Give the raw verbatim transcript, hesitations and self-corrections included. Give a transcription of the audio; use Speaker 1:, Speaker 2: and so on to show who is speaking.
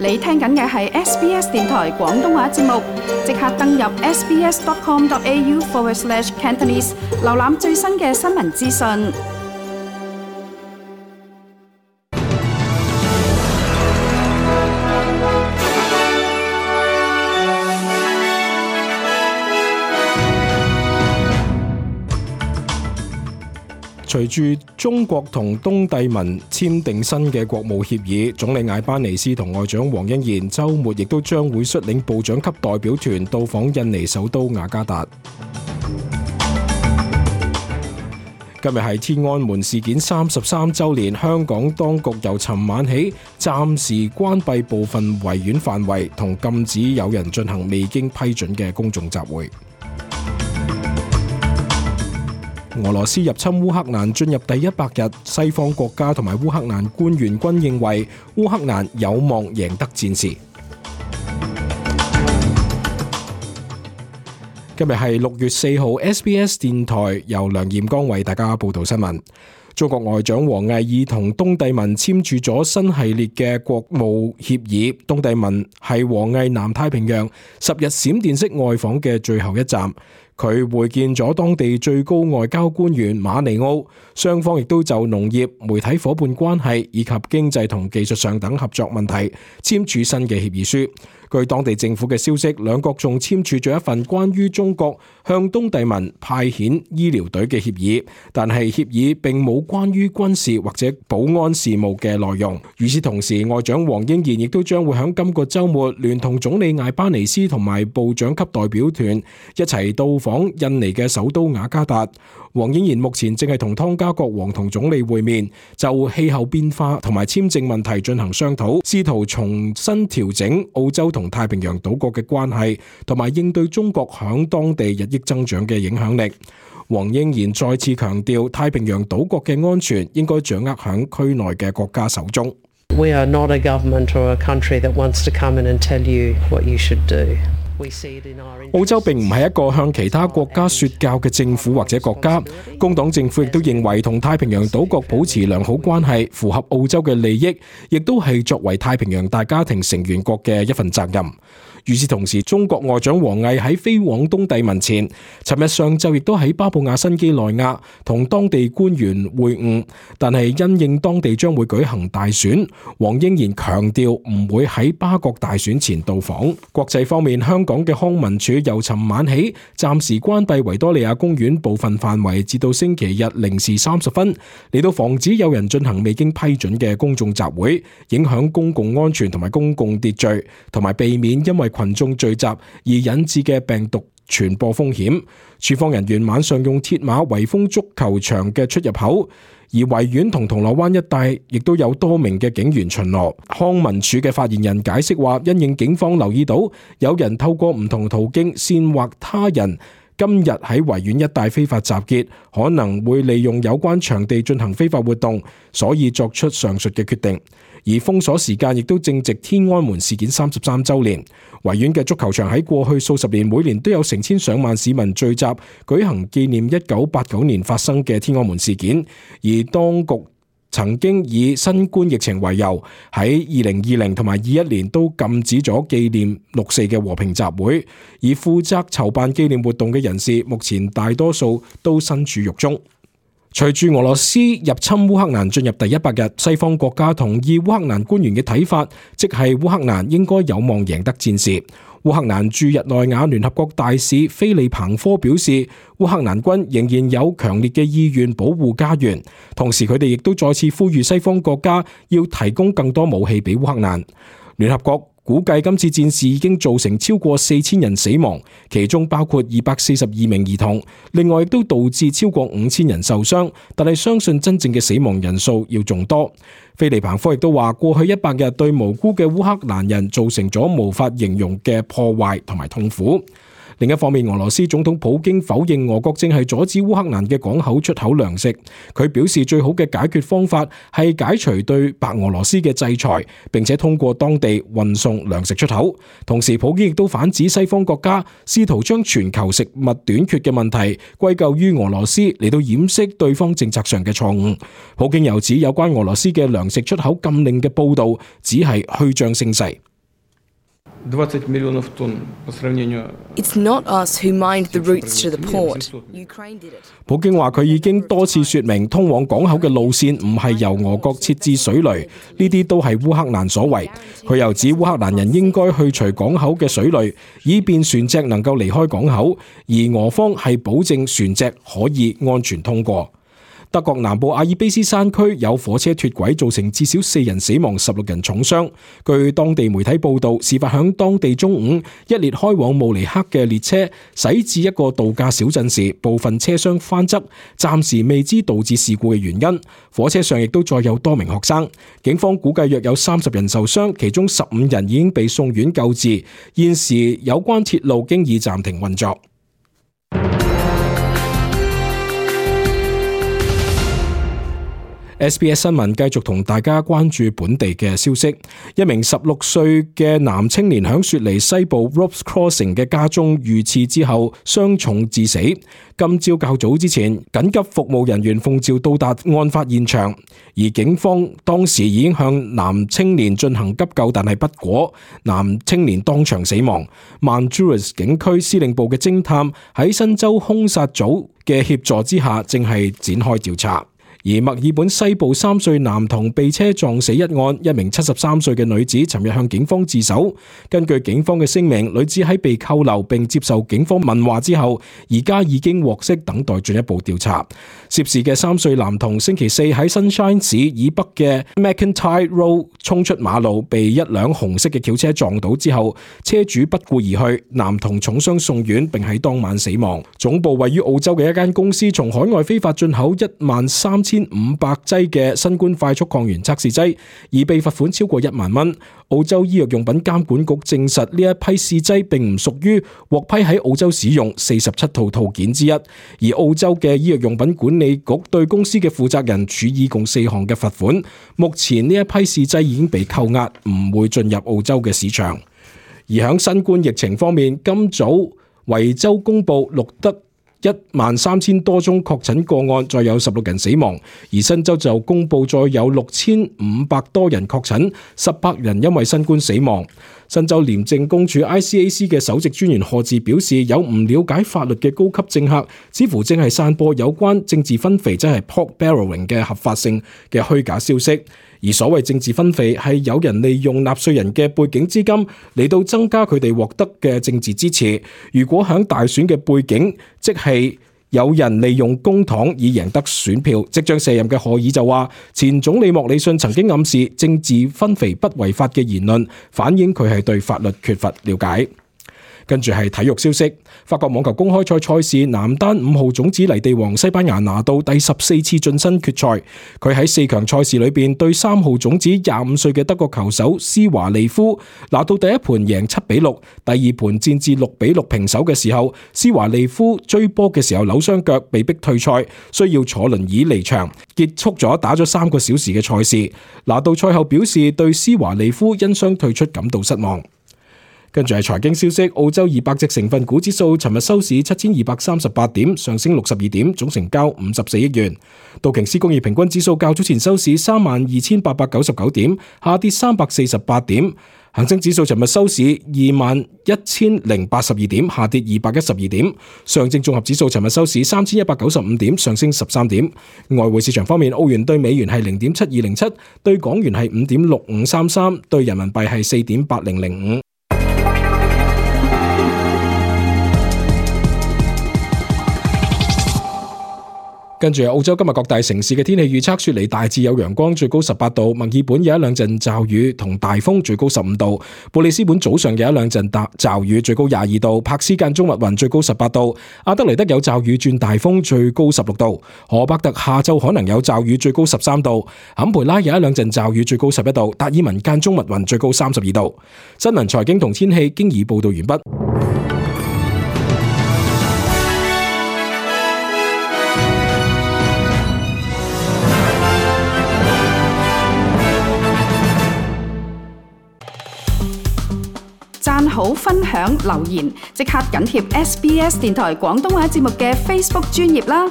Speaker 1: 你聽緊嘅係 S B S 電台廣東話節目，即刻登入 sbs.com.au forward slash Cantonese， 瀏覽最新嘅新聞資訊。
Speaker 2: 隨住中國同東帝汶簽訂新嘅國務協議，總理艾班尼斯同外長黃英賢週末亦都將會率領部長級代表團到訪印尼首都雅加達。今日係天安門事件三十三週年，香港當局由尋晚起暫時關閉部分維園範圍，同禁止有人進行未經批准嘅公眾集會。俄羅斯入侵烏克蘭進入第一百日，西方國家同埋烏克蘭官員均認為烏克蘭有望贏得戰事。今日係六月四號 ，S B S 電台由梁彥剛為大家報道新聞。中國外長王毅已同東帝汶簽署咗新系列嘅國務協議。東帝汶係王毅南太平洋十日閃電式外訪嘅最後一站。佢會見咗當地最高外交官員馬尼奧，雙方亦都就農業、媒體夥伴關係以及經濟同技術上等合作問題簽署新嘅協議書。據當地政府嘅消息，兩國仲簽署咗一份關於中國向東帝汶派遣醫療隊嘅協議，但係協議並冇關於軍事或者保安事務嘅內容。與此同時，外長黃英賢亦都將會喺今個週末聯同總理艾班尼斯同埋部長級代表團一齊到訪印尼嘅首都雅加達。黃英賢目前正係同湯加國王同總理會面，就氣候變化同埋簽證問題進行商討，試圖重新調整澳洲同太平洋島國嘅關係，同埋應對中國響當地日益增長嘅影響力。黃英賢再次強調，太平洋島國嘅安全應該掌握響區內嘅國家手中。
Speaker 3: We are not a government or a country that wants to come in and tell you what you should do.
Speaker 2: 澳洲並唔係一個向其他國家說教嘅政府或者國家，工黨政府亦都認為同太平洋島國保持良好關係符合澳洲嘅利益，亦都係作為太平洋大家庭成員國嘅一份責任。與此同時，中國外長王毅喺飛往東帝汶前，尋日上晝亦都喺巴布亞新畿內亞同當地官員會晤，但係因應當地將會舉行大選，黃英賢強調唔會喺巴國大選前到訪。國際方面，香港嘅康文署由尋晚起暫時關閉維多利亞公園部分範圍，至到星期日零時三十分，嚟到防止有人進行未經批准嘅公眾集會，影響公共安全同埋公共秩序，同埋避免因為群眾聚集而引致嘅病毒傳播風險。處方人員晚上用鐵馬圍封足球場嘅出入口，而維園同銅鑼灣一帶亦都有多名嘅警員巡邏。康文署嘅發言人解釋話，因應警方留意到有人透過唔同途徑煽惑他人今日喺維園一帶非法集結，可能會利用有關場地進行非法活動，所以作出上述嘅決定。而封鎖時間亦都正值天安門事件三十三週年。維園嘅足球場喺過去數十年每年都有成千上萬市民聚集舉行紀念一九八九年發生嘅天安門事件，而當局曾經以新冠疫情為由，喺二零二零同埋二一年都禁止咗紀念六四嘅和平集會，而負責籌辦紀念活動嘅人士，目前大多數都身處獄中。隨住俄羅斯入侵烏克蘭進入第一百日，西方國家同意烏克蘭官員嘅睇法，即係烏克蘭應該有望贏得戰事。烏克蘭駐日內瓦聯合國大使菲利彭科表示，烏克蘭軍仍然有強烈嘅意願保護家園，同時佢哋亦都再次呼籲西方國家要提供更多武器俾烏克蘭。聯合國估計今次戰事已經造成超過四千人死亡，其中包括二百四十二名兒童，另外亦都導致超過五千人受傷，但係相信真正嘅死亡人數要仲多。菲利彭科亦都話，過去一百日對無辜嘅烏克蘭人造成咗無法形容嘅破壞同埋痛苦。另一方面，俄羅斯總統普京否認俄國正係阻止烏克蘭嘅港口出口糧食。佢表示最好嘅解決方法係解除對白俄羅斯嘅制裁，並且通過當地運送糧食出口。同時，普京亦都反指西方國家試圖將全球食物短缺嘅問題歸咎於俄羅斯，嚟到掩飾對方政策上嘅錯誤。普京又指有關俄羅斯嘅糧食出口禁令嘅報導只係虛張聲勢。
Speaker 4: It's not us who mined the routes to the port. Ukraine did it.
Speaker 2: 普京話佢已經多次說明，通往港口嘅路線唔係由俄國設置水雷，呢啲都係烏克蘭所為。佢又指烏克蘭人應該去除港口嘅水雷，以便船隻能夠離開港口，而俄方係保證船隻可以安全通過。德國南部阿爾卑斯山區有火車脫軌，造成至少四人死亡、十六人重傷。據當地媒體報道，事發響當地中午，一列開往慕尼黑嘅列車駛至一個度假小鎮時，部分車廂翻側，暫時未知導致事故嘅原因。火車上亦都載有多名學生。警方估計約有三十人受傷，其中十五人已經被送院救治。現時有關鐵路經已暫停運作。S B S 新聞繼續同大家關注本地嘅消息。一名十六歲嘅男青年響雪梨西部 Ropes Crossing 嘅家中遇刺之後傷重致死。今朝較早之前，緊急服務人員奉召到達案發現場，而警方當時已經向男青年進行急救，但係不果，男青年當場死亡。Mandurah 警區司令部嘅偵探喺新州兇殺組嘅協助之下，正係展開調查。而墨爾本西部三歲男童被車撞死一案，一名七十三歲嘅女子尋日向警方自首。根據警方嘅聲明，女子喺被扣留並接受警方問話之後，而家已經獲釋，等待進一步調查。涉事嘅三歲男童星期四喺 Sunshine 市以北嘅 McIntyre Road 衝出馬路，被一輛紅色嘅轎車撞倒之後，車主不顧而去，男童重傷送院並喺當晚死亡。總部位於澳洲嘅一間公司從海外非法進口一萬三千五百劑嘅新冠快速抗原測試劑，而被罰款超過一萬蚊。澳洲醫藥用品監管局證實呢一批試劑並唔屬於獲批喺澳洲使用四十七套套件之一，而澳洲嘅醫藥用品管理局對公司嘅負責人處以共四項嘅罰款。目前呢一批試劑已經被扣押，唔會進入澳洲嘅市場。而喺新冠疫情方面，今早維州公布錄得一萬三千多宗確診個案，再有十六人死亡。而新州就公布再有六千五百多人確診，十八人因為新冠死亡。新州廉政公署 I C A C 嘅首席專員賀智表示，有唔了解法律嘅高級政客，似乎正係散播有關政治分肥，即係 pork barrelling 嘅合法性嘅虛假消息。而所謂政治分肥係有人利用納稅人嘅背景資金嚟到增加佢哋獲得嘅政治支持。如果喺大選嘅背景，即係有人利用公帑以贏得選票。即將卸任嘅賀爾就話，前總理莫里遜曾經暗示政治分肥不違法嘅言論，反映佢係對法律缺乏了解。跟住係體育消息，法國網球公開賽賽事男單五號種子泥地王西班牙拿到第十四次晉身決賽。佢喺四強賽事裏邊對三號種子廿五歲嘅德國球手施華利夫拿到第一盤贏七比六，第二盤戰至六比六平手嘅時候，施華利夫追波嘅時候扭傷腳，被逼退賽，需要坐輪椅離場，結束咗打咗三個小時嘅賽事。拿到賽後表示對施華利夫因傷退出感到失望。跟住係財經消息，澳洲二百隻成分股指數尋日收市七千二百三十八點，上升六十二點，總成交五十四億元。道瓊斯工業平均指數較早前收市三萬二千八百九十九點，下跌三百四十八點。恒生指數尋日收市二萬一千零八十二點，下跌二百一十二點。上證綜合指數尋日收市三千一百九十五點，上升十三點。外匯市場方面，澳元對美元係零點七二零七，對港元係五點六五三三，對人民幣係四點八零零五。跟住澳洲今日各大城市嘅天氣預測，雪梨大致有陽光，最高十八度；墨爾本有一兩陣驟雨同大風，最高十五度；布里斯本早上有一兩陣驟雨，最高廿二度；柏斯間中密雲，最高十八度；阿德萊德有驟雨轉大風，最高十六度；荷伯特下晝可能有驟雨，最高十三度；坎培拉有一兩陣驟雨，最高十一度；達爾文間中密雲，最高三十二度。新聞財經同天氣經已報道完畢。
Speaker 1: 讚好、分享、留言，即刻緊貼 S B S 電台廣東話節目嘅 Facebook 專頁啦！